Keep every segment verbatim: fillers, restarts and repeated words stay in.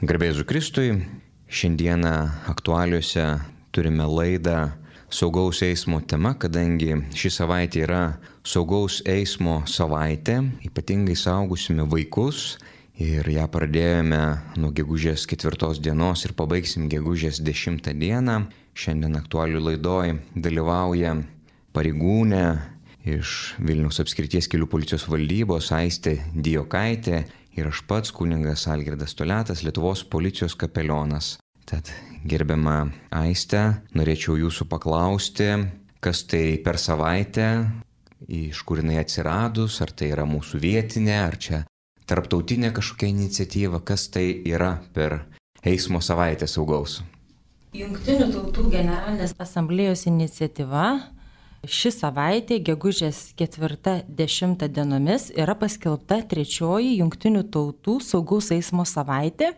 Garbė Jėzui Kristui, šiandieną aktualiuose turime laidą saugaus eismo tema, kadangi ši savaitė yra saugaus eismo savaitė, ypatingai saugusime vaikus ir ją pradėjome nuo gegužės ketvirtos dienos ir pabaigsim gegužės dešimtą dieną. Šiandien aktualių laidoj dalyvauja pareigūnė iš Vilniaus apskrities kelių policijos valdybos Aistė Dijokaitė ir aš pats kunigas Algirdas Toliatas, Lietuvos policijos kapelionas. Tad gerbiama Aistė, norėčiau jūsų paklausti, kas tai per savaitę, iš kur jinai atsiradus, ar tai yra mūsų vietinė, ar čia tarptautinė kažkokia iniciatyva, kas tai yra per eismo savaitę saugaus. Jungtinių tautų generalinės asamblėjos iniciatyva ši savaitė, gegužės ketvirtą dešimtą dienomis, yra paskelbta trečioji Jungtinių tautų saugaus eismo savaitė,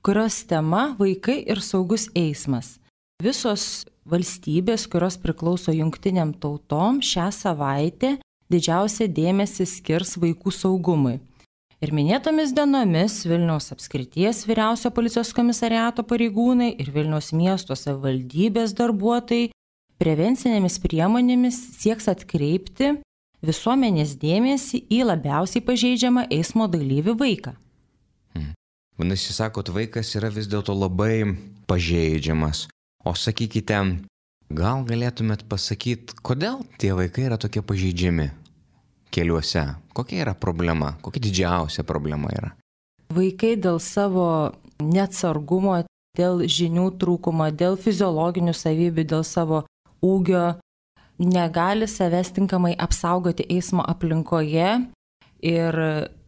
kurios tema vaikai ir saugus eismas. Visos valstybės, kurios priklauso jungtiniam tautom, šią savaitę didžiausią dėmesį skirs vaikų saugumui. Ir minėtomis dienomis Vilniaus apskrities vyriausio policijos komisariato pareigūnai ir Vilniaus miesto savivaldybės darbuotojai prevencinėmis priemonėmis sieks atkreipti visuomenės dėmesį į labiausiai pažeidžiamą eismo dalyvį vaiką. Hmm. Vadinasi, sakot, vaikas yra vis dėlto labai pažeidžiamas. O sakykite, gal galėtumėt pasakyti, kodėl tie vaikai yra tokie pažeidžiami keliuose? Kokia yra problema? Kokia didžiausia problema yra? Vaikai dėl savo neatsargumo, dėl žinių trūkumo, dėl fiziologinių savybių, dėl savo ūgio negali savęs tinkamai apsaugoti eismo aplinkoje ir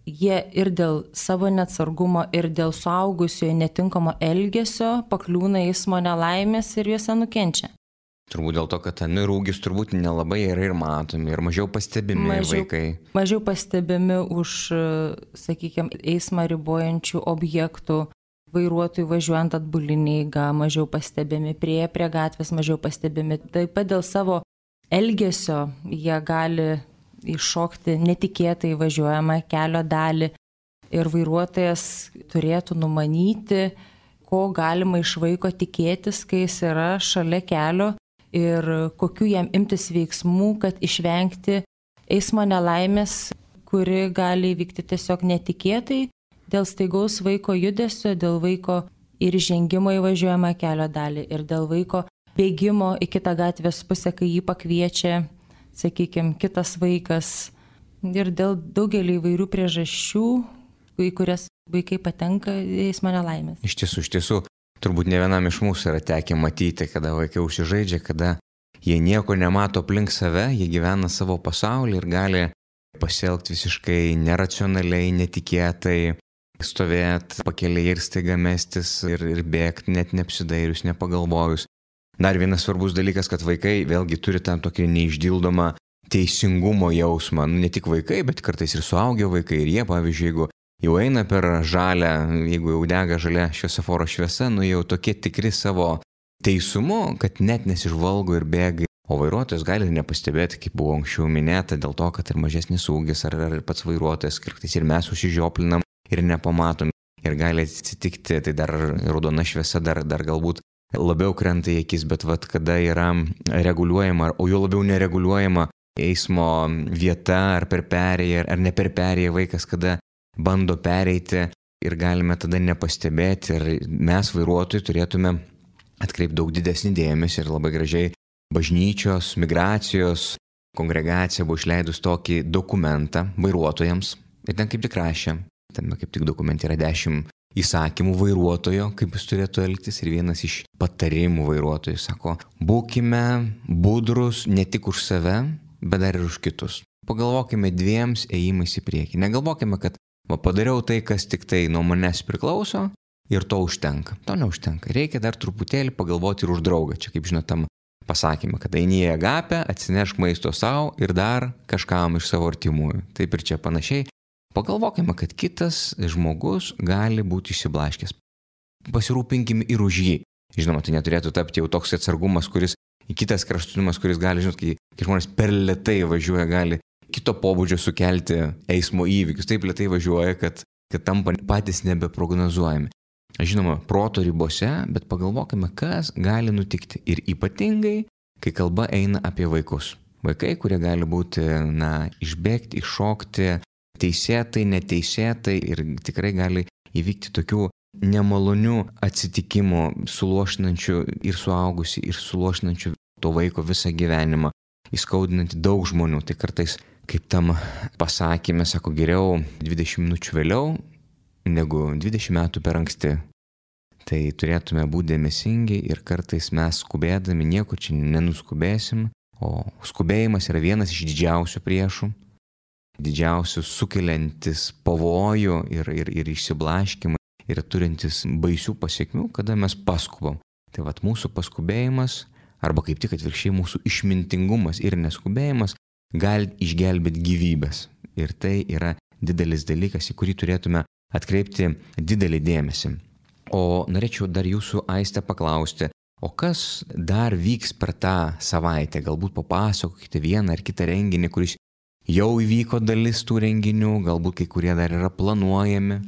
jie ir dėl savo neatsargumo, ir dėl suaugusiojo netinkamo elgesio pakliūna eismo nelaimės ir juose nukenčia. Turbūt dėl to, kad ten ir ūgis turbūt nelabai yra ir matomi, ir mažiau pastebimi mažiau, vaikai. Mažiau pastebimi už, sakykime, eismą ribojančių objektų. Vairuotojų važiuojant atbulinį eigą, mažiau pastebimi, prie prie gatvės mažiau pastebimi. Taip pat dėl savo elgesio jie gali iššokti netikėtai važiuojamą kelio dalį ir vairuotojas turėtų numanyti, ko galima iš vaiko tikėtis, kai jis yra šalia kelio ir kokiu jam imtis veiksmų, kad išvengti eismo nelaimės, kuri gali įvykti tiesiog netikėtai. Dėl staigaus vaiko judesio, dėl vaiko ir žengimo į važiuojamą kelio dalį ir dėl vaiko bėgimo į kitą gatvės pusę, kai jį pakviečia, sakykime, kitas vaikas. Ir dėl daugelį įvairių priežasčių, į kurias vaikai patenka eismo nelaimės. Iš tiesų, iš tiesų, turbūt ne vienam iš mūsų yra tekę matyti, kada vaikai užsižaidžia, kada jie nieko nemato aplink save, jie gyvena savo pasaulį ir gali pasielgti visiškai neracionaliai, netikėtai, stovėti pakelėje ir staiga mestis ir, ir bėgti, net neapsidairius, nepagalvojus. Dar vienas svarbus dalykas, kad vaikai vėlgi turi tam tokį neišdildomą teisingumo jausmą. Nu, ne tik vaikai, bet kartais ir suaugę vaikai. Ir jie, pavyzdžiui, jeigu jau eina per žalią, jeigu jau dega žalia šviesoforo šviesa, nu jau tokie tikri savo teisumu, kad net nesižvalgo ir bėga. O vairuotojas gali nepastebėti, kaip buvo anksčiau minėta, dėl to, kad ir mažesnis ūgis, ar, ar pats vairuotojas, kartais ir mes užsižioplinam ir nepamatom. Ir gali atsitikti, tai dar raudona šviesa dar, dar galbūt labiau krenta į akis, bet vat, kada yra reguliuojama, o jau labiau nereguliuojama eismo vieta, ar per perėją, ar ne per perėją vaikas, kada bando pereiti ir galime tada nepastebėti. Ir mes vairuotojai turėtume atkreipti daug didesnį dėmesį ir labai gražiai bažnyčios, migracijos kongregacija buvo išleidus tokį dokumentą vairuotojams ir ten kaip tik rašė. Ten kaip tik dokumente yra dešimt įsakymų vairuotojo, kaip jis turėtų elgtis, ir vienas iš patarimų vairuotojų sako, būkime budrus ne tik už save, bet dar ir už kitus. Pagalvokime dviems ėjimais į priekį. Negalvokime, kad va, padariau tai, kas tik tai nuo manęs priklauso ir to užtenka. To neužtenka. Reikia dar truputėlį pagalvoti ir už draugą. Čia kaip žinot tam pasakymą, kad eini į agapę, atsinešk maisto savo ir dar kažkam iš savo artimųjų. Taip ir čia panašiai. Pagalvokime, kad kitas žmogus gali būti išsiblaškęs. Pasirūpinkime ir už jį. Žinoma, tai neturėtų tapti jau toks atsargumas, kuris į kitas kraštutinumas, kuris gali, žinot, kai, kai žmonės per lėtai važiuoja, gali kito pobūdžio sukelti eismo įvykius. Taip lėtai važiuoja, kad, kad tampa patys nebeprognozuojami. žinoma, proto ribose, bet pagalvokime, kas gali nutikti. Ir ypatingai, kai kalba eina apie vaikus. Vaikai, kurie gali būti, na, išbėgti, iššokti, teisėtai, neteisėtai ir tikrai gali įvykti tokių nemalonių atsitikimų, suluošinančių ir suaugusi, ir suluošinančių to vaiko visą gyvenimą, įskaudinantį daug žmonių. Tai kartais, kaip tam pasakymė, sako, geriau dvidešimt minučių vėliau negu dvidešimt metų per anksti. Tai turėtume būti dėmesingi ir kartais mes skubėdami nieko čia nenuskubėsim, o skubėjimas yra vienas iš didžiausių priešų, didžiausių sukeliantis pavojų ir, ir, ir išsiblaškimą ir turintis baisių pasiekmių, kada mes paskubam. Tai vat mūsų paskubėjimas, arba kaip tik atvirkščiai mūsų išmintingumas ir neskubėjimas gali išgelbėti gyvybės. Ir tai yra didelis dalykas, į kurį turėtume atkreipti didelį dėmesį. O norėčiau dar jūsų, Aiste, paklausti, o kas dar vyks per tą savaitę? Galbūt papasakokite vieną ar kitą renginį, kuris jau įvyko dalis tų renginių, galbūt kai kurie dar yra planuojami.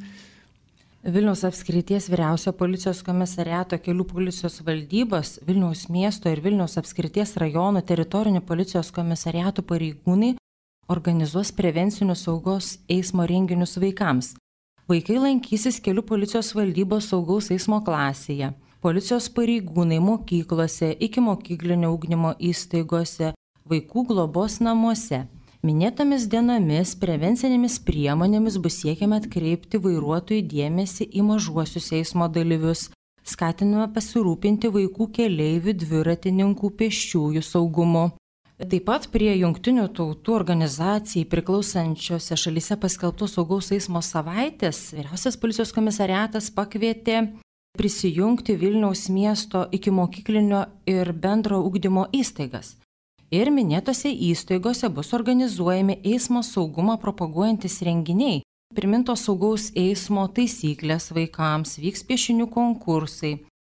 Vilniaus apskrities vyriausio policijos komisariato kelių policijos valdybos, Vilniaus miesto ir Vilniaus apskrities rajono teritorinių policijos komisariatų pareigūnai organizuos prevencinius saugos eismo renginius vaikams. Vaikai lankysis kelių policijos valdybos saugaus eismo klasėje. Policijos pareigūnai mokyklose, ikimokyklinio ugdymo įstaigose, vaikų globos namuose. Minėtomis dienomis prevencinėmis priemonėmis bus siekiama atkreipti vairuotojų dėmesį į mažuosius eismo dalyvius, skatinama pasirūpinti vaikų keleivių, dviratininkų, pėsčiųjų saugumu. Taip pat prie Jungtinių tautų organizacijai priklausančiose šalyse paskelbtos saugaus eismo savaitės vyriausias policijos komisariatas pakvietė prisijungti Vilniaus miesto ikimokyklinio ir bendro ugdymo įstaigas. Ir minėtose įstaigose bus organizuojami eismo saugumą propaguojantis renginiai. Primintos saugaus eismo taisyklės vaikams, vyks piešinių konkursai,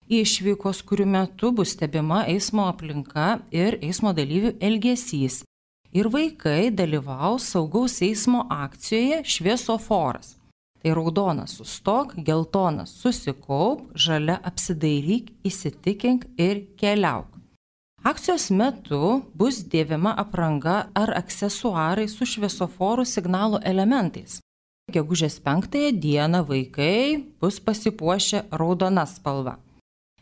išvykos, kurių metu bus stebima eismo aplinka ir eismo dalyvių elgesys. Ir vaikai dalyvaus saugaus eismo akcijoje šviesoforas. Tai raudonas sustok, geltonas susikaup, žalia apsidairyk, įsitikink ir keliauk. Akcijos metu bus dėvima apranga ar aksesuarai su šviesoforų signalo elementais. Gegužės penktąją dieną vaikai bus pasipuošę raudona spalva.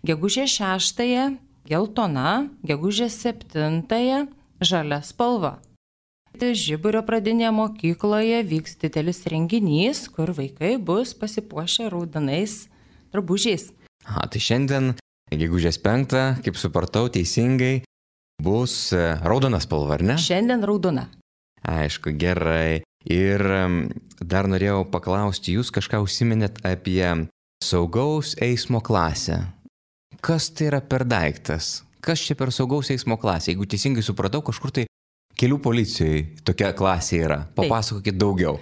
Gegužės šeštąją geltona, gegužės septintąją žalia spalva. Žiburio pradinėje mokykloje vyks didelis renginys, kur vaikai bus pasipuošę raudonais drabužiais. A, tai šiandien gegužės penktą, kaip supratau teisingai, bus raudona spalva, ar ne? Šiandien raudona. Aišku, gerai. Ir dar norėjau paklausti, jūs kažką užsiminėt apie saugaus eismo klasę. Kas tai yra per daiktas? Kas čia per saugaus eismo klasę? Jeigu teisingai supratau, kažkur tai kelių policijoje tokia klasė yra. Papasakokit daugiau.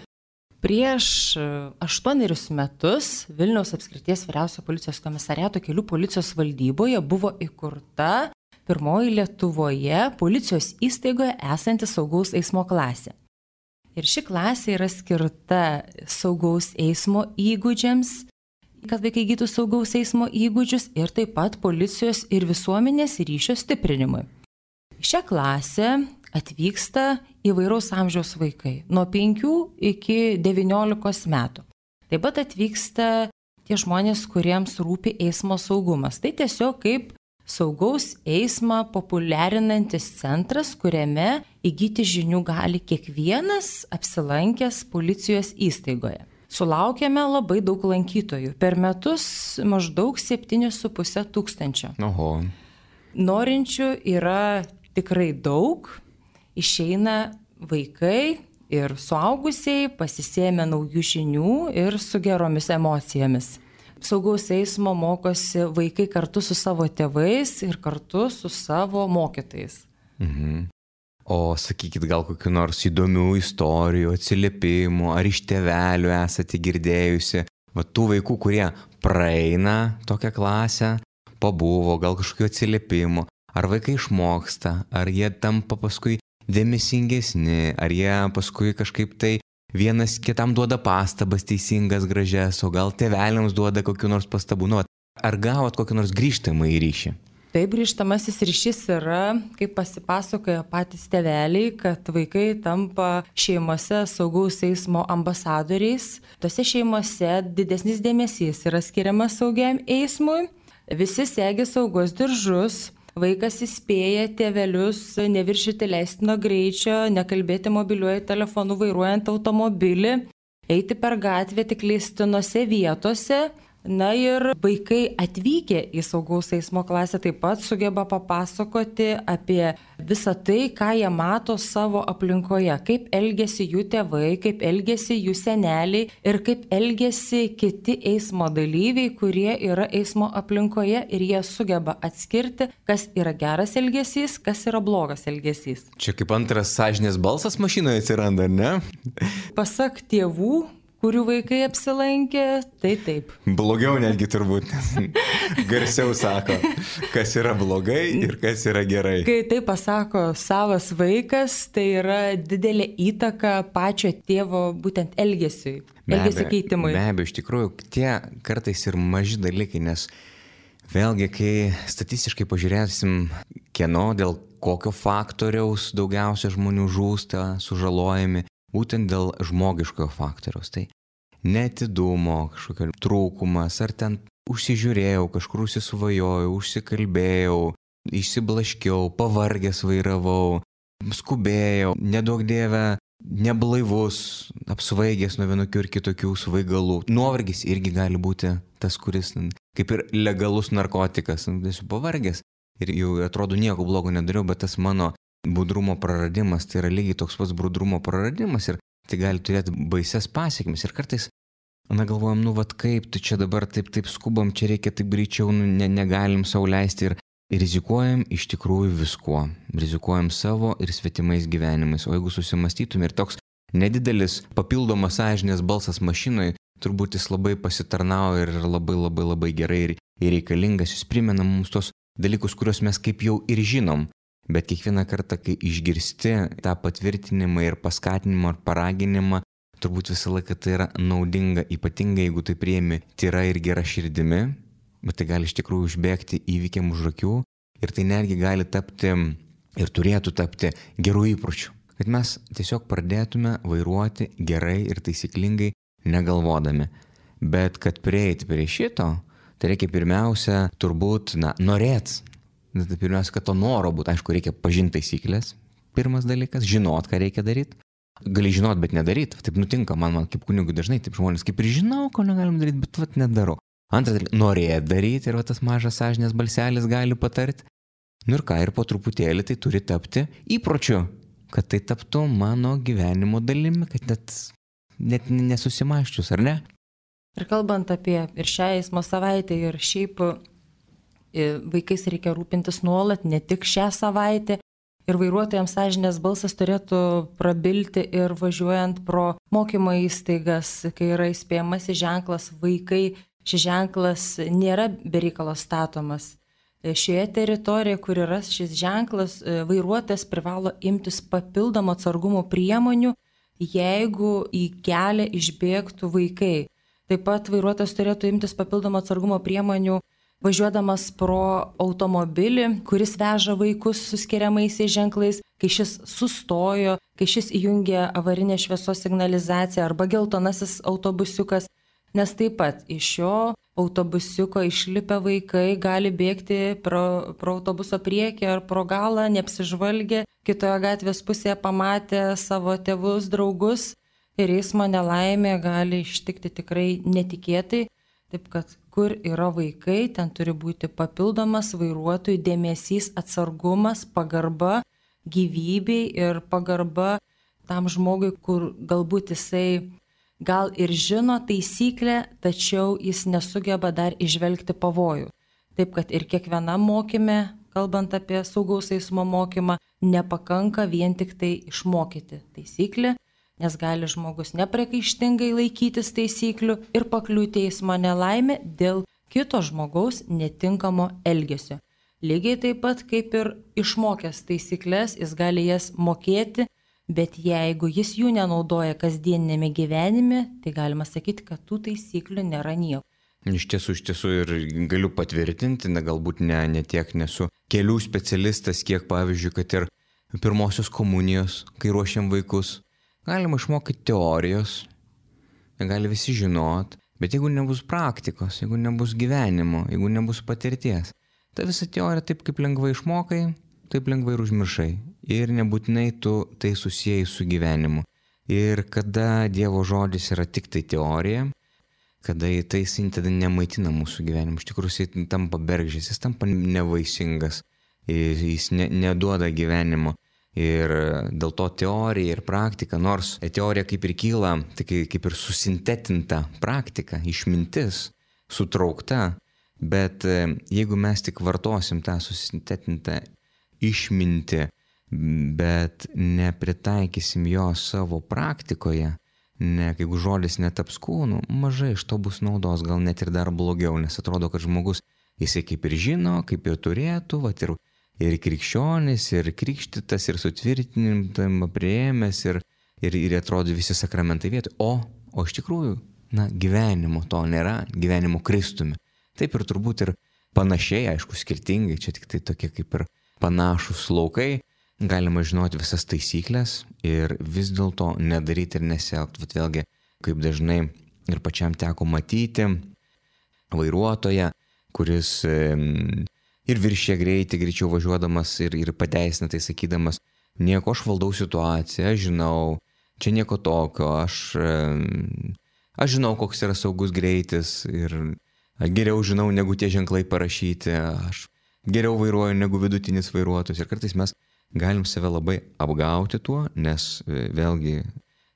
Prieš aštuonerius metus Vilniaus apskrities vyriausio policijos komisariato kelių policijos valdyboje buvo įkurta pirmoji Lietuvoje policijos įstaigoje esanti saugaus eismo klasė. Ir ši klasė yra skirta saugaus eismo įgūdžiams, kad vaikai įgytų saugaus eismo įgūdžius ir taip pat policijos ir visuomenės ryšio stiprinimui. Šią klasę atvyksta įvairaus amžiaus vaikai, nuo penkių iki devyniolikos metų. Taip pat atvyksta tie žmonės, kuriems rūpi eismo saugumas. Tai tiesiog kaip saugaus eismą populiarinantis centras, kuriame įgyti žinių gali kiekvienas apsilankęs policijos įstaigoje. Sulaukėme labai daug lankytojų. Per metus maždaug septyni su puse tūkstančio. Oho. Norinčių yra tikrai daug. Išeina vaikai ir suaugusiai pasisėmė naujų žinių ir su geromis emocijomis. Saugaus eismo mokosi vaikai kartu su savo tėvais ir kartu su savo mokytojais. Mhm. O sakykit, gal kokių nors įdomių istorijų, atsiliepimų, ar iš tėvelių esate girdėjusi, va tų vaikų, kurie praeina tokią klasę, pabuvo, gal kažkokių atsiliepimų, ar vaikai išmoksta, ar jie tampa paskui dėmesingesni, ar jie paskui kažkaip tai vienas kitam duoda pastabas teisingas, gražias, o gal tėveliams duoda kokiu nors pastabų. Nu, ar gavot kokį nors grįžtamą į ryšį? Taip, grįžtamasis ryšys yra, kaip pasipasakoja patys tėveliai, kad vaikai tampa šeimose saugaus eismo ambasadoriais. Tose šeimose didesnis dėmesys yra skiriamas saugiam eismui. Visi segi saugos diržus. Vaikas įspėja tėvelius neviršyti leistino greičio, nekalbėti mobiliuoju telefonu vairuojant automobilį, eiti per gatvę tik leistinose vietose. Na ir vaikai atvykę į saugaus eismo klasę taip pat sugeba papasakoti apie visą tai, ką jie mato savo aplinkoje, kaip elgesi jų tėvai, kaip elgesi jų seneliai ir kaip elgesi kiti eismo dalyviai, kurie yra eismo aplinkoje ir jie sugeba atskirti, kas yra geras elgesys, kas yra blogas elgesys. Čia kaip antras sąžinės balsas mašinoje atsiranda, ne? Pasak tėvų, kurių vaikai apsilankė, tai taip. Blogiau netgi turbūt, garsiau sako, kas yra blogai ir kas yra gerai. Kai tai pasako savas vaikas, tai yra didelė įtaka pačio tėvo būtent elgesiui, elgesio keitimui. Be abejo, iš tikrųjų, tie kartais ir maži dalykai, nes vėlgi, kai statistiškai pažiūrėsim, kieno dėl kokio faktoriaus daugiausia žmonių žūsta, sužalojami, būtent dėl žmogiškojo faktoriaus. Tai neatidumo, kažkokio trūkumas, ar ten užsižiūrėjau, kažkur užsisvajojau, užsikalbėjau, išsiblaškiau, pavargęs vairavau, skubėjau, nedaug dieve, neblaivus, apsvaigęs nuo vienokių ir kitokių svaigalų. Nuovargis irgi gali būti tas, kuris kaip ir legalus narkotikas. Esu pavargęs ir jau atrodo nieko blogo nedariau, bet tas mano budrumo praradimas, tai yra lygiai toks pats budrumo praradimas ir tai gali turėti baises pasekmes. Ir kartais, na galvojam, nu vat kaip, tu čia dabar taip, taip skubam, čia reikia taip greičiau, nu, ne, negalim sau leisti ir, ir rizikuojam iš tikrųjų viskuo. Rizikuojam savo ir svetimais gyvenimais. O jeigu susimastytum ir toks nedidelis papildomas sąžinės balsas mašinoje, turbūt jis labai pasitarnauja ir labai labai labai gerai ir, ir reikalingas. Jis primena mums tos dalykus, kuriuos mes kaip jau ir žinom. Bet kiekvieną kartą, kai išgirsti tą patvirtinimą ir paskatinimą ar paraginimą, turbūt visą laiką tai yra naudinga, ypatingai jeigu tai priimi tyra ir gera širdimi, bet tai gali iš tikrųjų užbėgti įvykiam už akių ir tai netgi gali tapti ir turėtų tapti gerų įpročių. Kad mes tiesiog pradėtume vairuoti gerai ir taisyklingai negalvodami. Bet kad prieiti prie šito, tai reikia pirmiausia turbūt, na, norėt. Tai pirmiausia, kad to noro būtų, aišku, reikia pažinti taisyklės. Pirmas dalykas, žinot, ką reikia daryti. Gali žinot, bet nedaryti. Taip nutinka, man, man kaip kunigui dažnai, taip žmonės kaip ir žinau, ko negalim daryti, bet vat nedarau. Antras dalykas, norėt daryti ir va, tas mažas sąžinės balselis gali patarti. Nu ir ką, ir po truputėlį tai turi tapti įpročiu, kad tai taptų mano gyvenimo dalimi, kad net, net nesusimaščius, ar ne? Ir kalbant apie ir šią eismo savaitę ir šiaip vaikais reikia rūpintis nuolat, ne tik šią savaitę. Ir vairuotojams sąžinės balsas turėtų prabilti ir važiuojant pro mokymo įstaigas, kai yra įspėjamasis ženklas vaikai, šis ženklas nėra bereikalo statomas. Šioje teritorijoje, kur yra šis ženklas, vairuotojas privalo imtis papildomų atsargumo priemonių, jeigu į kelią išbėgtų vaikai. Taip pat vairuotojas turėtų imtis papildomų atsargumo priemonių važiuodamas pro automobilį, kuris veža vaikus su skiriamaisiais ženklais, kai šis sustojo, kai šis įjungė avarinę šviesos signalizaciją arba geltonasis autobusiukas, nes taip pat iš šio autobusiuko išlipę vaikai gali bėgti pro, pro autobuso priekį ar pro galą, neapsižvalgę, kitoje gatvės pusėje pamatę savo tėvus, draugus ir eismo nelaimė gali ištikti tikrai netikėtai. Taip kad kur yra vaikai, ten turi būti papildomas vairuotojų dėmesys, atsargumas, pagarba gyvybei ir pagarba tam žmogui, kur galbūt jisai gal ir žino taisyklę, tačiau jis nesugeba dar įžvelgti pavojų. Taip kad ir kiekvienam mokyme, kalbant apie saugaus eismo mokymą, nepakanka vien tik tai išmokyti taisyklę, nes gali žmogus nepriekaištingai laikytis taisyklių ir pakliūti į eismo nelaimę dėl kito žmogaus netinkamo elgesio. Lygiai taip pat kaip ir išmokęs taisyklės, jis gali jas mokėti Bet jeigu jis jų nenaudoja kasdieninėme gyvenime, tai galima sakyti, kad tų taisyklių nėra nieko. Iš tiesų, iš tiesų ir galiu patvirtinti, na, galbūt ne, ne tiek nesu kelių specialistas, kiek pavyzdžiui, kad ir pirmosios komunijos, kai ruošiam vaikus, galima išmokyti teorijos, gali visi žinot, bet jeigu nebus praktikos, jeigu nebus gyvenimo, jeigu nebus patirties, ta visa teorija taip kaip lengvai išmokai, taip lengvai ir užmiršai. Ir nebūtinai tu tai susijai su gyvenimu. Ir kada Dievo žodis yra tik tai teorija, kada tai jis tada nemaitina mūsų gyvenimu, iš tikrųjų jis tampa bergždžias, jis tampa nevaisingas, jis ne, neduoda gyvenimo. Ir dėl to teorija ir praktika, nors teorija kaip ir kyla, tai kaip ir susintetinta praktika, išmintis, sutraukta, bet jeigu mes tik vartosim tą susintetintą išmintį, bet nepritaikysim jo savo praktikoje, ne, jeigu žodis netaps kūnu, mažai iš to bus naudos, gal net ir dar blogiau, nes atrodo, kad žmogus, jisai kaip ir žino, kaip ir turėtų, vat ir, ir krikščionis, ir krikštytas, ir sutvirtinimą priėmęs, ir, ir, ir atrodo visi sakramentai vietoj, o, o iš tikrųjų, na, gyvenimo to nėra, gyvenimo Kristumi. Taip ir turbūt ir panašiai, aišku, skirtingai, čia tik tai tokie kaip ir panašus laukai, galima žinoti visas taisyklės ir vis dėlto nedaryti ir nesielgti. Vat vėlgi, kaip dažnai ir pačiam teko matyti vairuotoją, kuris ir viršė greitį, greičiau važiuodamas ir, ir pateisina tai sakydamas, nieko, aš valdau situaciją, aš žinau, čia nieko tokio, aš, aš žinau, koks yra saugus greitis ir geriau žinau, negu tie ženklai parašyti, aš geriau vairuoju negu vidutinis vairuotojas. Ir kartais mes galim save labai apgauti tuo, nes vėlgi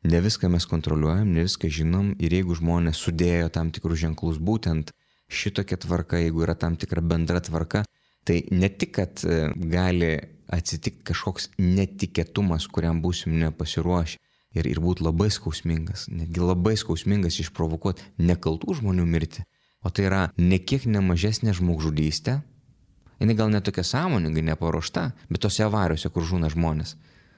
ne viską mes kontroliuojam, ne viską žinom ir jeigu žmonės sudėjo tam tikrus ženklus būtent šitokia tvarka, jeigu yra tam tikra bendra tvarka, tai ne tik, kad gali atsitikti kažkoks netikėtumas, kuriam būsim nepasiruošę ir, ir būti labai skausmingas, netgi labai skausmingas išprovokuoti nekaltų žmonių mirtį, o tai yra nekiek nemažesnė žmogžudystė. Jis gal netokia sąmoningai neparuošta, bet tose avarijose, kur žūna žmonės.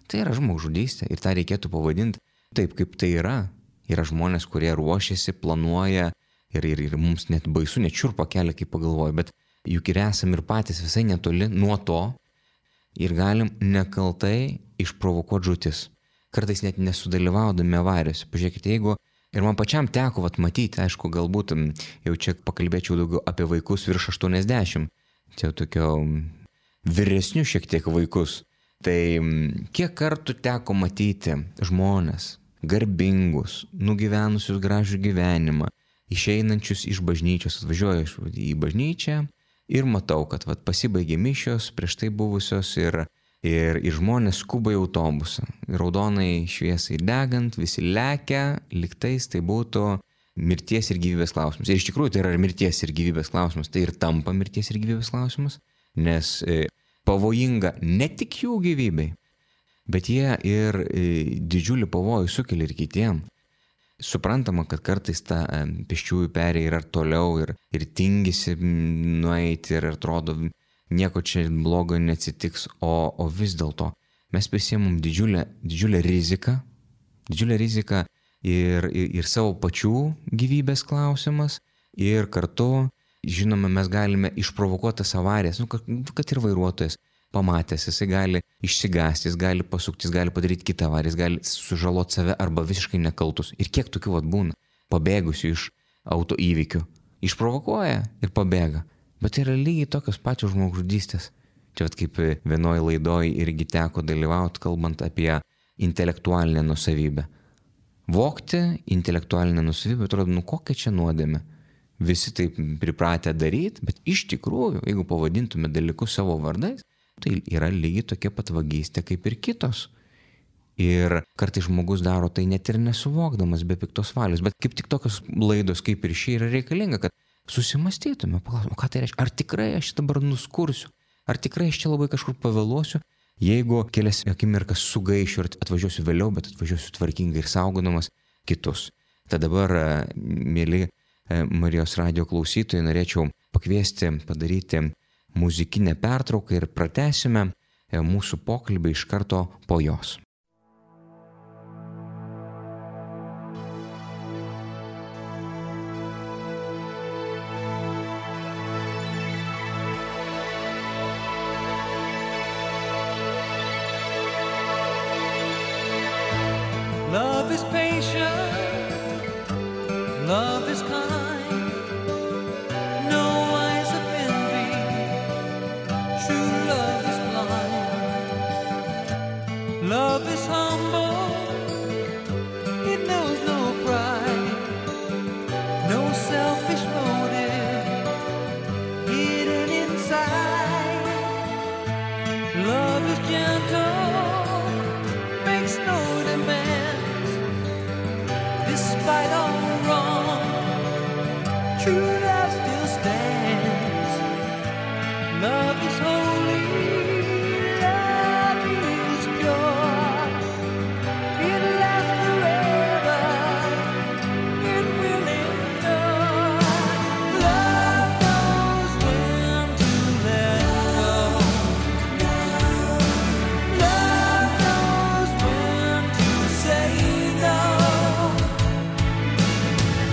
Tai yra žmogžudystė ir tą reikėtų pavadinti taip, kaip tai yra. Yra žmonės, kurie ruošiasi, planuoja ir, ir, ir mums net baisu, net šiurpa kelia, kaip pagalvoju, bet juk ir esam ir patys visai netoli nuo to ir galim nekaltai išprovokuoti žūtis. Kartais net nesudalyvaudami avarijose. Pažiūrėkite, jeigu ir man pačiam teko vat matyti, aišku, galbūt jau čia pakalbėčiau daugiau apie vaikus virš aštuoniasdešimt. Čia tokio vyresnių šiek tiek vaikus. Tai kiek kartų teko matyti žmonės, garbingus, nugyvenusius gražų gyvenimą, išeinančius iš bažnyčios, atvažiuoju į bažnyčią ir matau, kad vat, pasibaigė mišios prieš tai buvusios ir, ir, ir žmonės skuba į autobusą. Raudonai šviesai degant, visi lekia, liktais tai būtų mirties ir gyvybės klausimas. Ir iš tikrųjų tai yra mirties ir gyvybės klausimas. Tai ir tampa mirties ir gyvybės klausimas, nes e, pavojinga ne tik jų gyvybei, bet jie ir e, didžiulį pavojų sukelia ir kitiem. Suprantama, kad kartais ta e, pėsčiųjų perėja yra toliau ir, ir tingisi nueiti ir atrodo nieko čia blogo neatsitiks, o, o vis dėlto mes prisiemam didžiulę, didžiulę riziką, didžiulę riziką Ir, ir, ir savo pačių gyvybės klausimas ir kartu, žinoma, mes galime išprovokuoti tas avarijas, nu, kad, kad ir vairuotojas pamatęs, jisai gali išsigąsti, jis gali pasukti, jis gali padaryti kitą avariją, jis gali sužaloti save arba visiškai nekaltus. Ir kiek tokių vat būna, pabėgusių iš auto įvykių, išprovokuoja ir pabėga. Bet tai yra lygiai tokios pačios žmogžudystės. Čia vat kaip vienoje laidoje irgi teko dalyvauti, kalbant apie intelektualinę nusavybę. Vogti intelektualinę nusavybę, atrodo, nu kokia čia nuodėmė. Visi taip pripratę daryti, bet iš tikrųjų, jeigu pavadintume dalykus savo vardais, tai yra lygiai tokia pat vagystė kaip ir kitos. Ir kartais žmogus daro tai net ir nesuvokdamas, be piktos valios. Bet kaip tik tokios laidos kaip ir ši yra reikalinga, kad susimastytume, paklaustume, ką tai reiškia. Ar tikrai aš dabar nuskursiu? Ar tikrai aš čia labai kažkur pavėluosiu? Jeigu kelias akimirkas sugaišiu ir atvažiuosiu vėliau, bet atvažiuosiu tvarkingai ir saugodamas kitus. Tad dabar, mėly Marijos radijo klausytojai, norėčiau pakviesti padaryti muzikinę pertrauką ir pratęsime mūsų pokalbį iš karto po jos. Love is patient, love is kind, no eyes of envy, true love is blind. Love is humble, it knows no pride, no selfish motive hidden inside. Love is gentle, makes no demands, despite all wrong, true love still stands. Love is holy, love is pure, it lasts forever, it will endure. Love knows when to let go, love knows when to say no.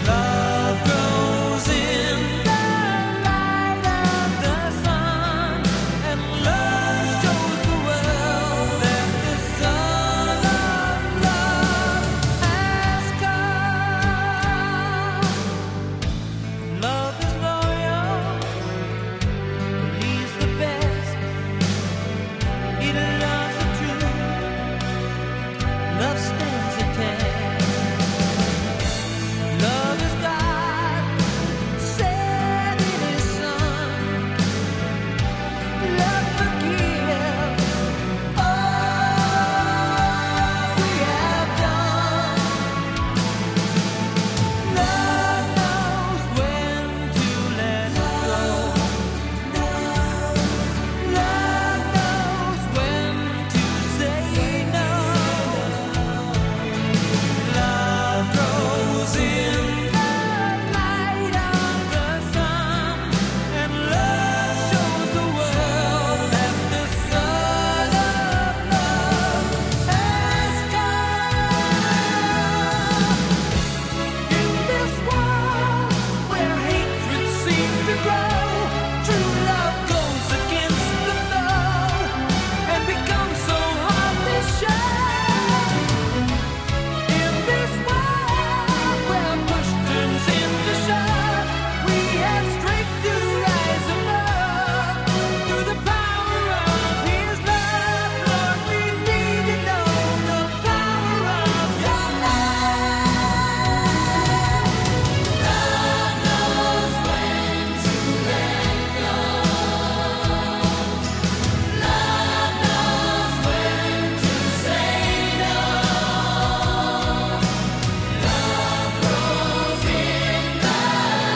Love grows in the light of the sun, and love shows the world that the Son of Love has come. Love is loyal, he's the best, he loves the truth, love stands the test. Love is God, said in his Son, love forgives all we have done. Love knows when to let go, love knows when to say no. Love grows in the light of the sun, and love shows the world that the Son of Love has come. In this world where hatred seems to grow, true love goes against the flow and becomes so hard to show. In this world where push turns into shove, we have strength to rise above through the power of His love. Lord, we need to know the power of Your love. Love knows when to let go. Love knows when to say no. Love grows in the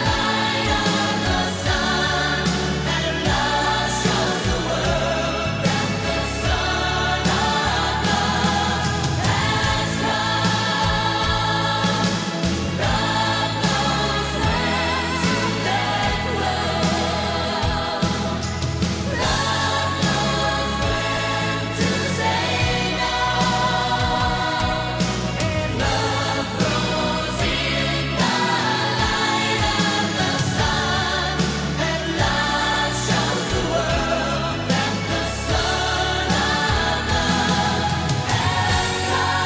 light of the sun, and love shows the world that the Son of Love has come. Love knows when to let go. Love knows when to say no. And love grows in the light of the sun, and love shows the world that the Son of Love has come.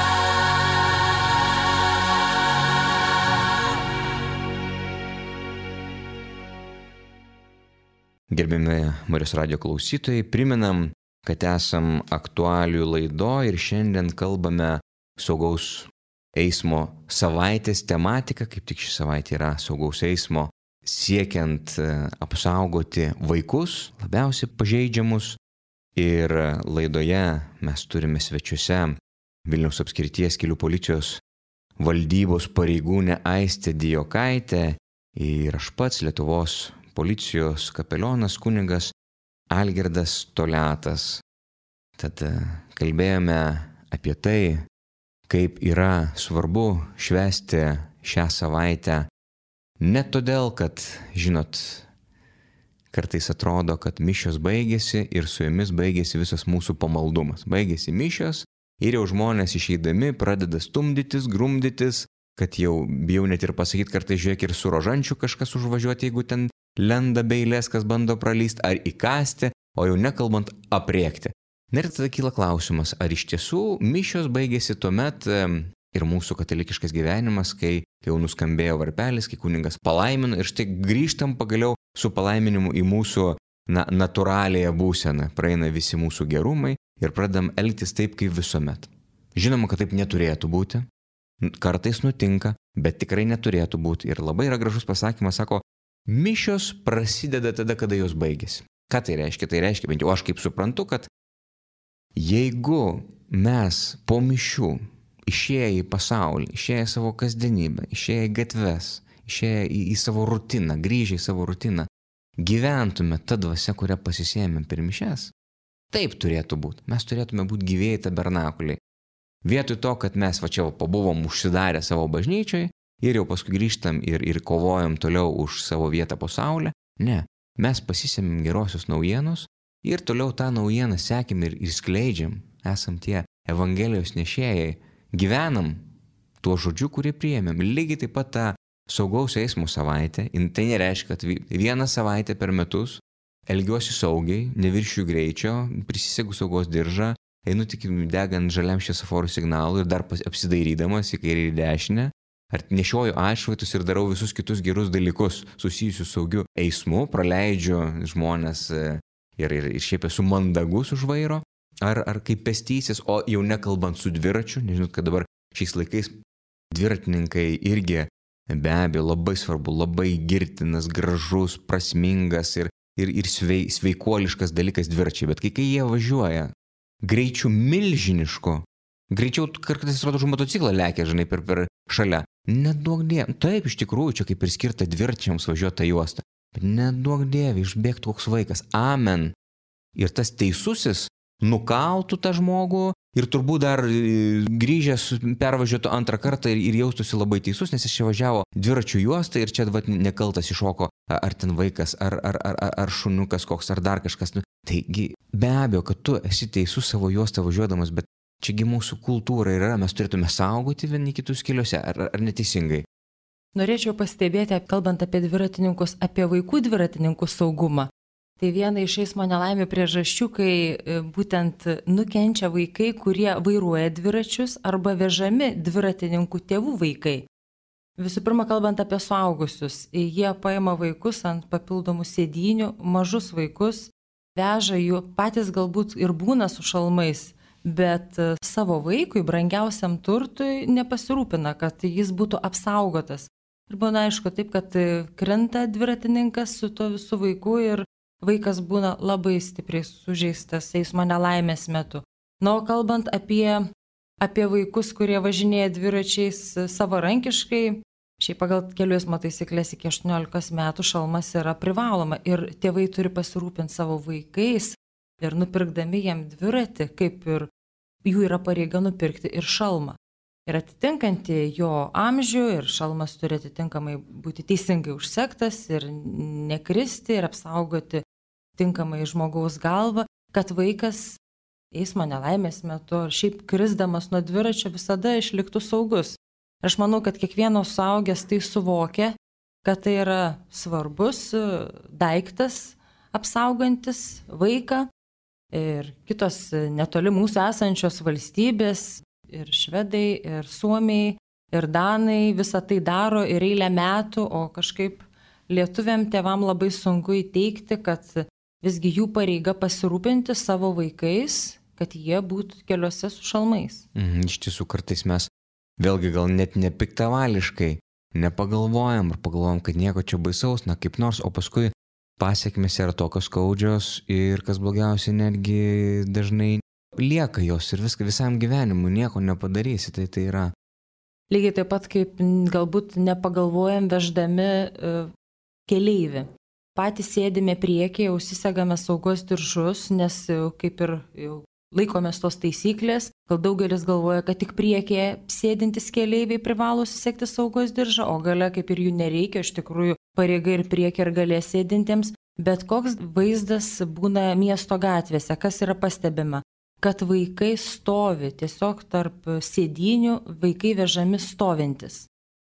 Gerbiami Marijos radijo klausytojai, priminam, kad esam aktualijų laido ir šiandien kalbame saugaus eismo savaitės tematika, kaip tik ši savaitė yra saugaus eismo, siekiant e, apsaugoti vaikus, labiausiai pažeidžiamus. Ir laidoje mes turime svečiuose Vilniaus apskrities kelių policijos valdybos pareigūnę Aistę Dijokaitę ir aš pats Lietuvos policijos kapelionas kunigas Algirdas Toliatas. Tad e, kalbėjome apie tai, kaip yra svarbu švęsti šią savaitę. Ne todėl, kad, žinot, kartais atrodo, kad mišios baigėsi ir su jomis baigėsi visas mūsų pamaldumas. Baigėsi mišios ir jau žmonės išeidami pradeda stumdytis, grumdytis, kad jau bijau net ir pasakyti, kartais žiūrėk ir su rožančiu kažkas užvažiuoti, jeigu ten lenda be eilės, kas bando pralysti, ar įkasti, o jau nekalbant apriekti. Ir tada kyla klausimas, ar iš tiesų mišios baigėsi tuomet, ir mūsų katalikiškas gyvenimas, kai, kai jau nuskambėjo varpelis, kai kunigas palaimino ir štai grįžtam pagaliau su palaiminimu į mūsų na, natūraliąją būseną. Praeina visi mūsų gerumai ir pradedam elgtis taip, kaip visuomet. Žinoma, kad taip neturėtų būti. Kartais nutinka, bet tikrai neturėtų būti. Ir labai yra gražus pasakymas, sako, mišios prasideda tada, kada jos baigėsi. Ką tai reiškia? Tai reiškia, bent jau aš kaip suprantu, kad jeigu mes po mišių išėję į pasaulį, išėję į savo kasdienybę, išėję į gatves, išėję į, į savo rutiną, grįžę į savo rutiną, gyventume tą dvasią, kurią pasisėmėm per mišias, taip turėtų būti. Mes turėtume būti gyvėjai tabernakuliai. Vietoj to, kad mes va čia pabuvom užsidarę savo bažnyčioj ir jau paskui grįžtam ir, ir kovojam toliau už savo vietą po saulę, ne, mes pasisėmėm gerosios naujienos ir toliau tą naujieną sekėm ir skleidžiam, esam tie Evangelijos nešėjai, gyvenam tuo žodžiu, kurį priėmėm. Lygiai taip pat tą saugaus eismo savaitę, tai nereiškia, kad vieną savaitę per metus elgiuosi saugiai, neviršiu greičio, prisisegu saugos diržą, einu tik degant žaliam šviesoforų signalų ir dar apsidairydamas į kairę ir į dešinę, ar nešioju atšvaitus ir darau visus kitus gerus dalykus susijusius saugiu eismu, praleidžiu žmonės ir, ir, ir šiaip esu mandagus už vairo, ar, ar kaip pėstysis, o jau nekalbant su dviračiu, nežinot, kad dabar šiais laikais dviratininkai irgi be abejo labai svarbu, labai girtinas, gražus, prasmingas ir, ir, ir svei, sveikuoliškas dalykas dviračiai, bet kai, kai jie važiuoja greičiu milžinišku, greičiau kartais atrodo už motociklą lekia, žinai, per, per šalia. Neduok dieve, taip iš tikrųjų, čia kaip ir skirta dviračiams važiuoti tą juostą, bet neduok dieve, išbėgtų koks vaikas, amen. Ir tas teisusis nukaltų tą žmogų ir turbūt dar grįžęs pervažiuotų antrą kartą ir, ir jaustųsi labai teisus, nes jis čia važiavo dviračių juostą ir čia vat, nekaltas iššoko ar ten vaikas, ar, ar, ar, ar šuniukas koks, ar dar kažkas. Taigi be abejo, kad tu esi teisus savo juostą važiuodamas, bet čiagi mūsų kultūra yra, mes turėtume saugoti vieni kitus keliuose, ar, ar neteisingai? Norėčiau pastebėti, kalbant apie dviratininkus, apie vaikų dviratininkų saugumą. Tai viena iš eismo nelaimių priežasčių, kai būtent nukenčia vaikai, kurie vairuoja dviračius arba vežami dviratininkų tėvų vaikai. Visų pirma, kalbant apie suaugusius, jie paima vaikus ant papildomų sėdynių, mažus vaikus, veža jų, patys galbūt ir būna su šalmais, bet savo vaikui, brangiausiam turtui, nepasirūpina, kad jis būtų apsaugotas. Ir būna aišku taip, kad krenta dviratininkas su to visų vaiku ir vaikas būna labai stipriai sužeistas eismo nelaimės metu. Na, o kalbant apie, apie vaikus, kurie važinėja dviračiais savarankiškai, šiaip pagal kelių eismo taisyklės iki aštuoniolikos metų šalmas yra privaloma ir tėvai turi pasirūpinti savo vaikais ir nupirkdami jam dviratį, kaip ir jų yra pareiga nupirkti ir šalmą. Ir atitinkanti jo amžių ir šalmas turi atitinkamai būti teisingai užsektas ir nekristi ir apsaugoti tinkamai žmogaus galvą, kad vaikas eismo nelaimės metu ar šiaip krisdamas nuo dviračio visada išliktų saugus. Ir aš manau, kad kiekvienas suaugęs tai suvokia, kad tai yra svarbus daiktas apsaugantis vaiką ir kitos netoli mūsų esančios valstybės, ir švedai, ir suomiai, ir danai visą tai daro ir eilę metų, o kažkaip lietuviam tėvam labai sunku įteikti, kad visgi jų pareiga pasirūpinti savo vaikais, kad jie būtų keliuose su šalmais. Mhm, iš tiesų kartais mes vėlgi gal net nepiktavališkai nepagalvojam ar pagalvojam, kad nieko čia baisaus, na kaip nors, o paskui pasiekmės yra tokios skaudžios ir kas blogiausia netgi dažnai lieka jos ir viską visam gyvenimui, nieko nepadarysi, tai tai yra. Lygiai taip pat kaip galbūt nepagalvojam veždami uh, keleivį. Patys sėdime priekyje, užsisegame saugos diržus, nes jau, kaip ir jau laikomės tos taisyklės, gal daugelis galvoja, kad tik priekyje sėdintys keleiviai privalo susegti saugos diržą, o gale kaip ir jų nereikia, iš tikrųjų pareiga ir priekyje ir gale sėdintiems, bet koks vaizdas būna miesto gatvėse, kas yra pastebima, kad vaikai stovi, tiesiog tarp sėdynių vaikai vežami stovintis.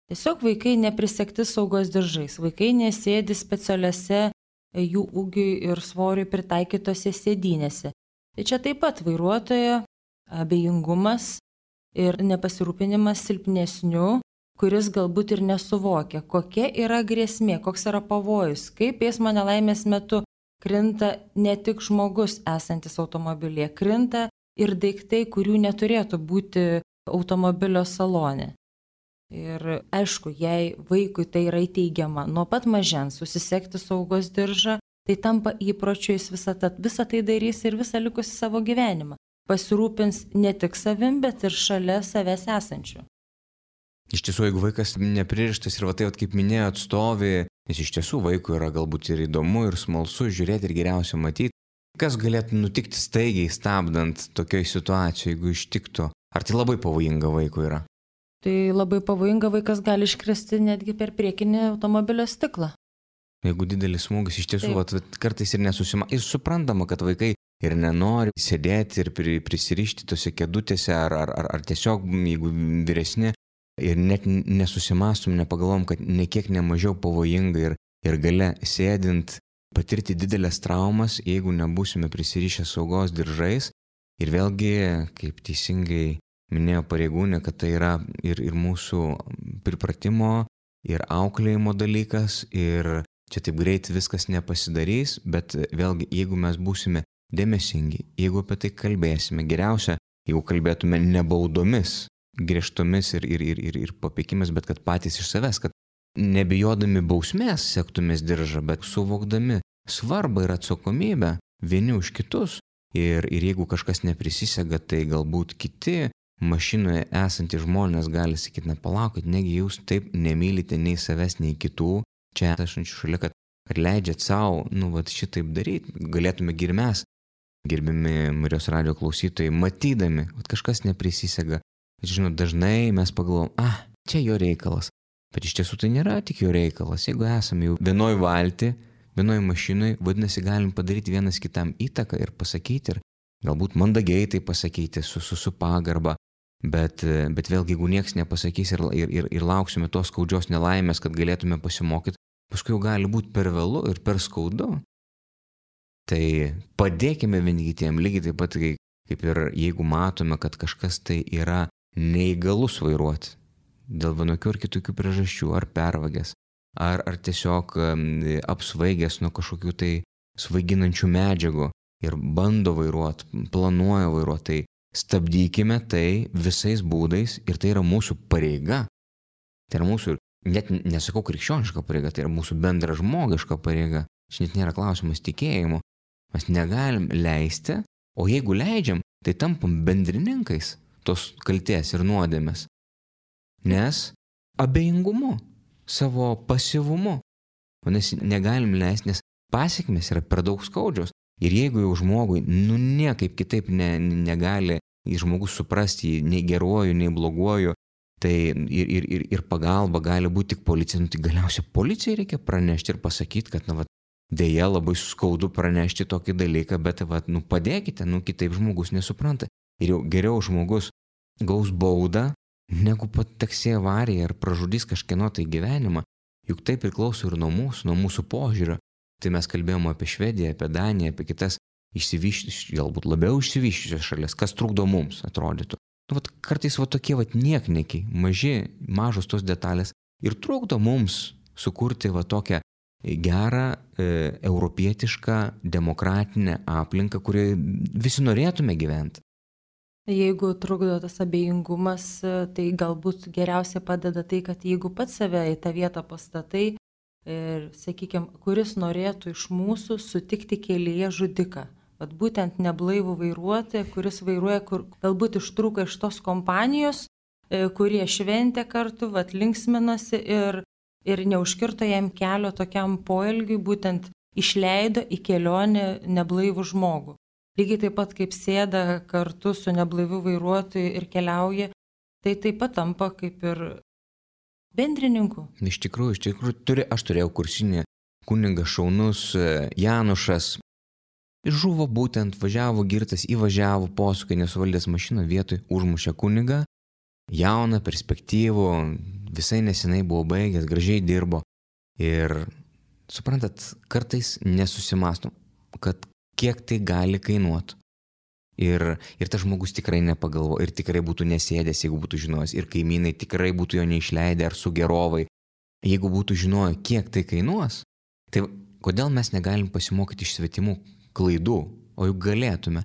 Tiesiog vaikai neprisegti saugos diržais, vaikai nesėdi specialiose jų ūgiui ir svoriui pritaikytose sėdynėse. Tai čia taip pat vairuotojo abejingumas ir nepasirūpinimas silpnesniu, kuris galbūt ir nesuvokia, kokia yra grėsmė, koks yra pavojus, kaip eismo nelaimės metu krinta ne tik žmogus esantis automobilyje, krinta ir daiktai, kurių neturėtų būti automobilio salone. Ir aišku, jei vaikui tai yra įteigiama nuo pat mažens susisegti saugos diržą, tai tampa įpročiu, jis visą, ta, visą tai darys ir visą likusį savo gyvenimą. Pasirūpins ne tik savim, bet ir šalia savęs esančių. Iš tiesų, jeigu vaikas nepririštas ir va tai, kaip minėjo, atstovi, nes iš tiesų vaikui yra galbūt ir įdomu, ir smalsu žiūrėti, ir geriausia matyti, kas galėtų nutikti staigiai stabdant tokioj situacijoje, jeigu ištiktų. Ar tai labai pavojinga vaikui yra? Tai labai pavojinga, vaikas gali iškristi netgi per priekinį automobilio stiklą. Jeigu didelis smūgis, iš tiesų, vat, kartais ir nesusima. Ir suprantama, kad vaikai ir nenori sėdėti ir prisirišti tose kėdutėse, ar, ar, ar, ar tiesiog, jeigu vyresni, ir net nesusimastum, nepagalvom, kad nekiek nemažiau pavojinga ir, ir gale sėdint patirti didelės traumas, jeigu nebūsime prisirišę saugos diržais. Ir vėlgi, kaip teisingai minėjo pareigūnė, kad tai yra ir, ir mūsų pripratimo, ir auklėjimo dalykas, ir čia taip greit viskas nepasidarys, bet vėlgi, jeigu mes būsime dėmesingi, jeigu apie tai kalbėsime, geriausia, jeigu kalbėtume nebaudomis, griežtomis ir, ir, ir, ir, ir papeikimis, bet kad patys iš savęs, kad nebijodami bausmės sektumės diržą, bet suvokdami svarbą ir atsakomybę vieni už kitus. Ir, ir jeigu kažkas neprisisega, tai galbūt kiti mašinoje esantys žmonės gali sakyti, nepalaukit, negi jūs taip nemylite nei savęs, nei kitų, čia esančių šalia, kad, kad leidžiat savo, nu, vat šitaip daryti, galėtume ir mes, gerbimi Marijos radijo klausytojai, matydami, kad kažkas neprisisega. Žinot, dažnai mes pagalvom, ah, čia jo reikalas, bet iš tiesų tai nėra tik jo reikalas. Jeigu esame jau vienoj valti, vienoj mašinoj, vadinasi, galim padaryti vienas kitam įtaką ir pasakyti, ir galbūt mandagiai tai pasakyti su, su, su pagarba, bet, bet vėlgi, jeigu nieks nepasakys ir, ir, ir, ir lauksime tos skaudžios nelaimės, kad galėtume pasimokyti, paskui jau gali būti per vėlu ir per skaudu. Tai padėkime vieni kitiem, lygiai taip pat, kaip ir jeigu matome, kad kažkas tai yra neįgalus vairuoti dėl vienokių ar kitokių priežasčių, ar pervagęs, ar, ar tiesiog apsvaigęs nuo kažkokių tai svaiginančių medžiagų ir bando vairuoti, planuoja vairuoti, tai stabdykime tai visais būdais ir tai yra mūsų pareiga. Tai yra mūsų, net nesakau krikščioniška pareiga, tai yra mūsų bendra žmogiška pareiga. Šiandien nėra klausimas tikėjimu. Mes negalim leisti, o jeigu leidžiam, tai tampam bendrininkais tos kaltės ir nuodėmės. Nes abejingumu, savo pasyvumu. Nes negalim leisti, nes pasekmės yra per daug skaudžios. Ir jeigu jau žmogui, nu niekaip kitaip ne, negali žmogus suprasti nei geruoju, nei bloguoju, tai ir, ir, ir, ir pagalba gali būti tik policija. Nu, tai galiausiai policijai reikia pranešti ir pasakyti, kad, na, va, dėja labai skaudu pranešti tokį dalyką, bet, va, nu, padėkite, nu, kitaip žmogus nesupranta. Ir jau geriau žmogus gaus baudą, negu pateks į avariją ir pražudys kažkieno tai gyvenimą. Juk tai priklauso ir nuo mūsų, nuo mūsų požiūrio. Tai mes kalbėjome apie Švediją, apie Daniją, apie kitas išsivyščiusias, galbūt labiau išsivyščiusias šalis, kas trukdo mums, atrodytų. Nu, vat, kartais va tokie vat niekniekiai, maži, mažos tos detalės ir trukdo mums sukurti va tokią gerą, e, europietišką, demokratinę aplinką, kurioje visi norėtume gyventi. Jeigu trukdo tas abejingumas, tai galbūt geriausia padeda tai, kad jeigu pats save į tą vietą pastatai ir, sakykime, kuris norėtų iš mūsų sutikti kelyje žudiką. Vat būtent neblaivų vairuotoją, kuris vairuoja, kur galbūt ištrūko iš tos kompanijos, kurie šventė kartu, vat linksminosi ir, ir neužkirto jam kelio tokiam poelgiui, būtent išleido į kelionę neblaivų žmogų. Lygiai taip pat kaip sėda kartu su neblaiviu vairuotoju ir keliauja, tai taip pat tampa kaip ir bendrininku. Iš tikrųjų, iš tikrųjų, turi, aš turėjau kursinį kunigas šaunus Janušas. Žuvo būtent, važiavo girtas, įvažiavo posūkį, nesuvaldęs mašiną vietoj, užmušė kunigą. Jauną, perspektyvų, visai nesenai buvo baigęs, gražiai dirbo. Ir suprantat, kartais nesusimastom, kad kiek tai gali kainuoti. Ir, ir tas žmogus tikrai nepagalvo, ir tikrai būtų nesėdęs, jeigu būtų žinojęs, ir kaimynai tikrai būtų jo neišleidę ar sugerovai, jeigu būtų žinoję, kiek tai kainuos. Tai kodėl mes negalim pasimokyti iš svetimų klaidų, o juk galėtume.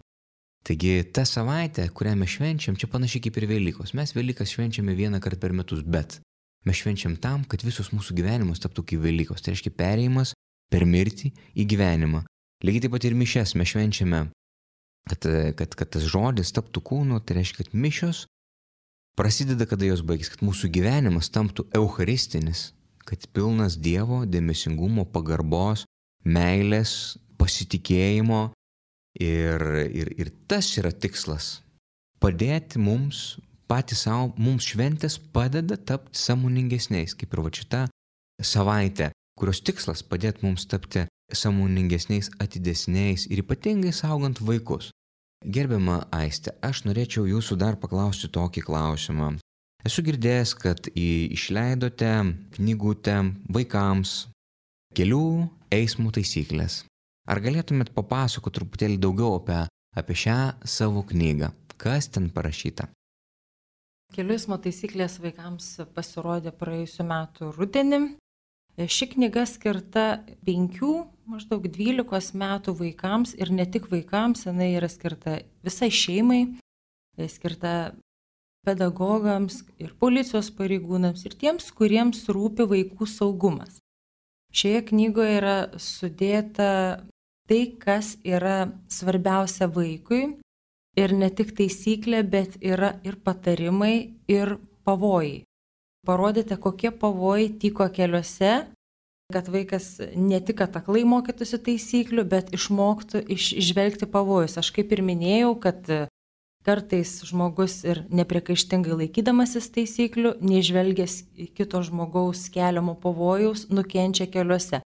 Taigi ta savaitė, kurią mes švenčiam, čia panašiai kaip ir Velykos. Mes Velykas švenčiame vieną kartą per metus, bet mes švenčiam tam, kad visos mūsų gyvenimas taptų kaip Velykos. Tai reiškia perėjimas per mirtį į gyvenimą. Lygiai taip pat ir mišias mes švenčiame. Kad, kad, kad tas žodis taptų kūnu, tai reiškia, kad mišios prasideda, kada jos baigis, kad mūsų gyvenimas tamptų eucharistinis, kad pilnas Dievo dėmesingumo, pagarbos, meilės, pasitikėjimo ir, ir, ir tas yra tikslas. Padėti mums, patys savo, mums šventės padeda tapti sąmoningesniais, kaip ir va šita savaitė, kurios tikslas padėti mums tapti sąmoningesniais, atidesniais ir ypatingai saugant vaikus. Gerbiama Aiste, aš norėčiau jūsų dar paklausti tokį klausimą. Esu girdėjęs, kad išleidote knygutę vaikams kelių eismo taisyklės. Ar galėtumėt papasakoti truputėlį daugiau apie, apie šią savo knygą? Kas ten parašyta? Kelių eismo taisyklės vaikams pasirodė praėjusiu metu rudenį. Ši knyga skirta penkių, maždaug dvylikos metų vaikams ir ne tik vaikams, jinai yra skirta visai šeimai, skirta pedagogams ir policijos pareigūnams ir tiems, kuriems rūpi vaikų saugumas. Šioje knygoje yra sudėta tai, kas yra svarbiausia vaikui ir ne tik taisyklė, bet yra ir patarimai, ir pavojai. Parodėte, kokie pavojai tyko keliuose, kad vaikas ne tik ataklai mokytųsi taisyklių, bet išmoktų išžvelgti pavojus. Aš kaip ir minėjau, kad kartais žmogus ir nepriekaištingai laikydamasis taisyklių, neižvelgęs kito žmogaus keliamo pavojaus, nukenčia keliuose.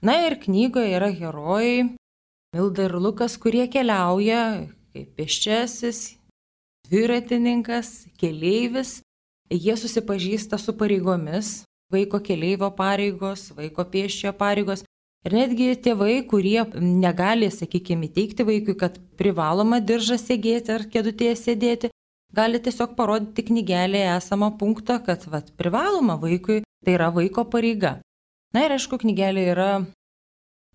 Na ir knygoje yra herojai, Milda ir Lukas, kurie keliauja kaip pėsčiasis, dviratininkas, keleivis. Jie susipažįsta su pareigomis, vaiko keleivio pareigos, vaiko pėsčiojo pareigos. Ir netgi tėvai, kurie negali, sakykime, įteikti vaikui, kad privaloma diržą segėti ar kėdutėje sėdėti, gali tiesiog parodyti knygelėje esamą punktą, kad vat, privaloma vaikui, tai yra vaiko pareiga. Na ir aišku, knygelė yra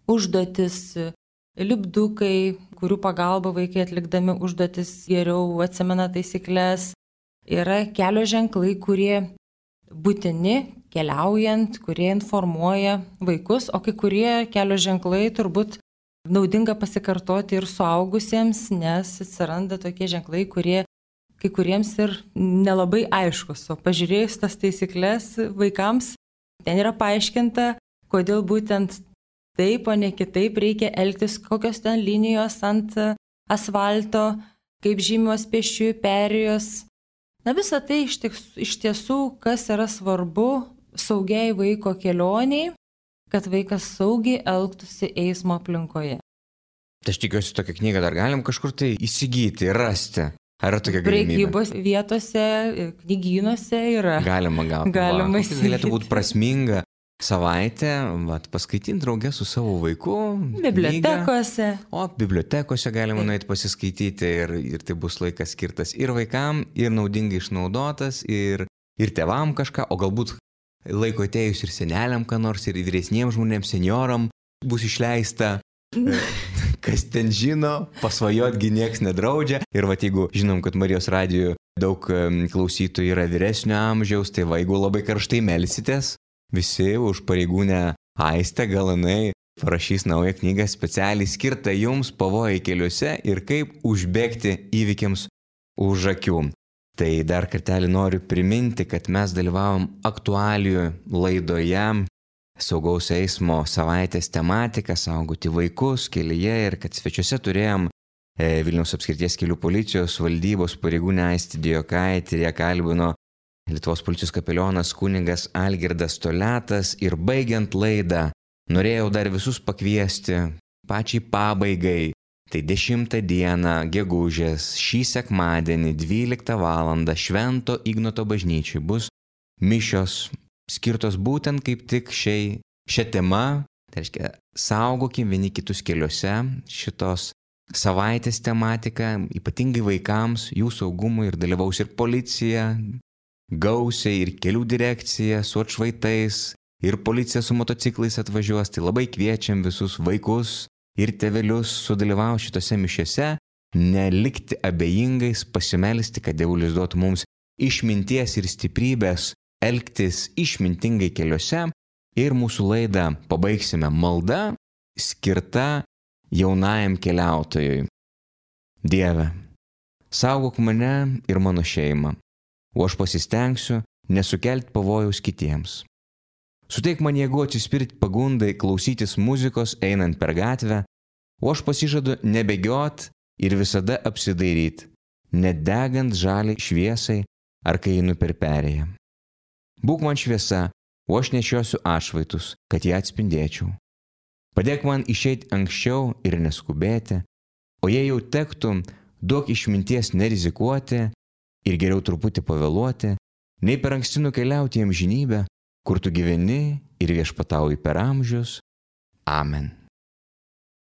užduotis, lipdukai, kurių pagalba vaikai atlikdami užduotis geriau atsimena taisyklės. Yra kelio ženklai, kurie būtini keliaujant, kurie informuoja vaikus, o kai kurie kelio ženklai turbūt naudinga pasikartoti ir suaugusiems, nes atsiranda tokie ženklai, kurie kai kuriems ir nelabai aiškus. O pažiūrėjus tas taisyklės vaikams, ten yra paaiškinta, kodėl būtent taip, o ne kitaip reikia elgtis, kokios ten linijos ant asfalto, kaip žymios pėsčiųjų perėjos. Na visą tai iš, tiks, iš tiesų, kas yra svarbu saugiai vaiko kelioniai, kad vaikas saugiai elgtųsi eismo aplinkoje. Tai aš tikiuosi, tokią knygą dar galim kažkur tai įsigyti, rasti. Ar yra tokia galimybė? Prekybos vietose, knygynuose yra. Galima gauti. Galima įsigyti. Tai galėtų būti prasminga savaitę, vat, paskaitinti draugę su savo vaiku. Bibliotekose. Knygą. O bibliotekose galima nueiti pasiskaityti ir, ir tai bus laikas skirtas ir vaikam, ir naudingai išnaudotas, ir, ir tėvam kažką, o galbūt laiko atėjus ir seneliam, ką nors, ir vyresniems žmonėms, senioram bus išleista. Kas ten žino, pasvajotgi nieks nedraudžia. Ir vat, jeigu žinom, kad Marijos radijo daug klausytojų yra vyresnio amžiaus, tai va, jeigu labai karštai melsitės, visi už pareigūnę Aistę, gal jinai parašys naują knygą specialiai skirtą jums pavojai keliuose ir kaip užbėgti įvykiams už akių. Tai dar kartelį noriu priminti, kad mes dalyvavom aktualijų laidoje saugaus eismo savaitės tematika, saugoti vaikus kelyje ir kad svečiuose turėjom Vilniaus apskrities kelių policijos valdybos pareigūnę Aistę Dijokaitę ir ją kalbino Lietuvos policijos kapelionas kunigas Algirdas Toletas. Ir baigiant laidą, norėjau dar visus pakviesti pačiai pabaigai. Tai dešimtą dieną gegužės šį sekmadienį dvyliktą valandą Švento Ignoto bažnyčiai bus mišios skirtos būtent kaip tik šiai, šią temą. Tai reiškia, saugokim vieni kitus keliuose. Šitos savaitės tematika, ypatingai vaikams, jų saugumui, ir dalyvaus ir policija, gausiai, ir kelių direkcija su atšvaitais, ir policija su motociklais atvažiuos. Tai labai kviečiam visus vaikus ir tėvelius sudalyvauti šitose mišiose, nelikti abejingais, pasimelsti, kad Dievulis duotų mums išminties ir stiprybės elgtis išmintingai keliuose. Ir mūsų laidą pabaigsime malda skirta jaunajam keliautojui. Dieve, saugok mane ir mano šeimą, o aš pasistengsiu nesukelti pavojaus kitiems. Suteik man jėgų atsispirti pagundai klausytis muzikos einant per gatvę, o aš pasižadu nebėgiot ir visada apsidairyti, nedegant žaliai šviesai ar kai einu per perėją. Būk man šviesa, o aš nešiosiu atšvaitus, kad ją atspindėčiau. Padėk man išeiti anksčiau ir neskubėti, o jei jau tektų, duok išminties nerizikuoti ir geriau truputį pavėluoti, nei per anksti nukeliauti į amžinybę, kur tu gyveni ir viešpatauji per amžius. Amen.